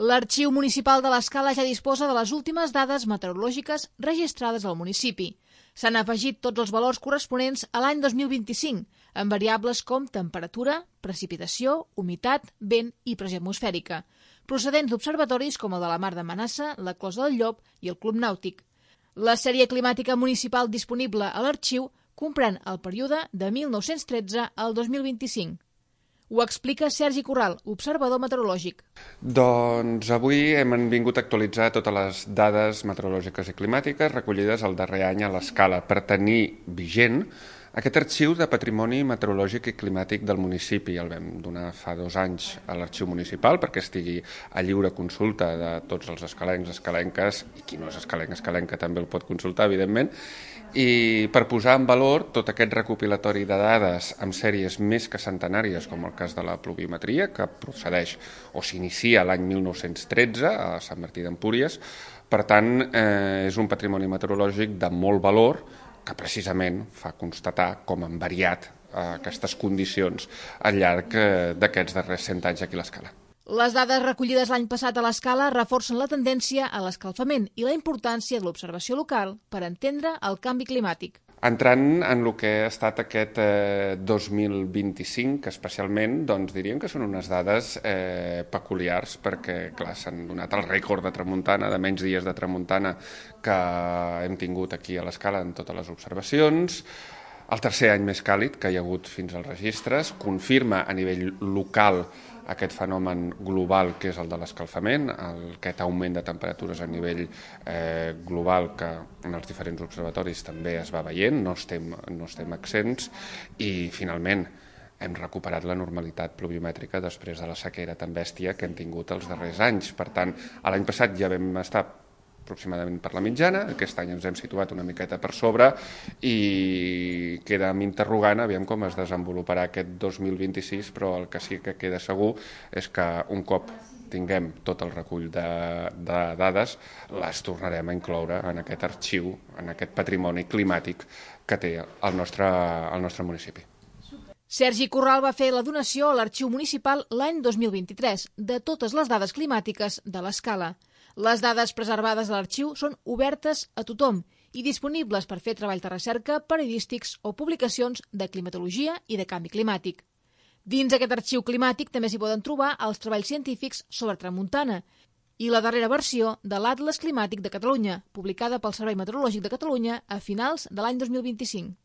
L'Arxiu Municipal de l'Escala ja disposa de les últimes dades meteorològiques registrades al municipi. S'han afegit tots els valors corresponents a l'any 2025, amb variables com temperatura, precipitació, humitat, vent i pressió atmosfèrica, procedents d'observatoris com el de la Mar de Manassa, la Closa del Llop i el Club Nàutic. La sèrie climàtica municipal disponible a l'arxiu comprèn el període de 1913 al 2025. Ho explica Sergi Corral, observador meteorològic. Doncs avui hem vingut a actualitzar totes les dades meteorològiques i climàtiques recollides el darrer any a l'Escala per tenir vigent aquest arxiu de patrimoni meteorològic i climàtic del municipi. El vam donar fa 2 anys a l'arxiu municipal perquè estigui a lliure consulta de tots els escalencs, escalenques, i qui no és escalenc, escalenca també el pot consultar, evidentment, i per posar en valor tot aquest recopilatori de dades amb sèries més que centenàries, com el cas de la pluviometria, que procedeix o s'inicia l'any 1913 a Sant Martí d'Empúries. Per tant, és un patrimoni meteorològic de molt valor que precisament fa constatar com han variat aquestes condicions al llarg d'aquests darrers 100 anys aquí a l'Escala. Les dades recollides l'any passat a l'Escala reforcen la tendència a l'escalfament i la importància de l'observació local per entendre el canvi climàtic. Entrant en el que ha estat aquest 2025, especialment, doncs diríem que són unes dades peculiars perquè, clar, s'han donat el rècord de tramuntana, de menys dies de tramuntana que hem tingut aquí a l'Escala en totes les observacions. El tercer any més càlid que hi ha hagut fins als registres confirma a nivell local aquest fenomen global que és el de l'escalfament, aquest augment de temperatures a nivell global que en els diferents observatoris també es va veient, no estem exents, i finalment hem recuperat la normalitat pluviomètrica després de la sequera tan bèstia que hem tingut els darrers anys. Per tant, l'any passat ja vam estar aproximadament per la mitjana, aquest any ens hem situat una miqueta per sobre i queda interrogant aviam com es desenvoluparà aquest 2026, però el que sí que queda segur és que un cop tinguem tot el recull de dades, les tornarem a incloure en aquest arxiu, en aquest patrimoni climàtic que té el nostre municipi. Sergi Corral va fer la donació a l'Arxiu Municipal l'any 2023 de totes les dades climàtiques de l'Escala. Les dades preservades a l'arxiu són obertes a tothom i disponibles per fer treballs de recerca, periodístics o publicacions de climatologia i de canvi climàtic. Dins aquest arxiu climàtic també s'hi poden trobar els treballs científics sobre tramuntana i la darrera versió de l'Atles Climàtic de Catalunya, publicada pel Servei Meteorològic de Catalunya a finals de l'any 2025.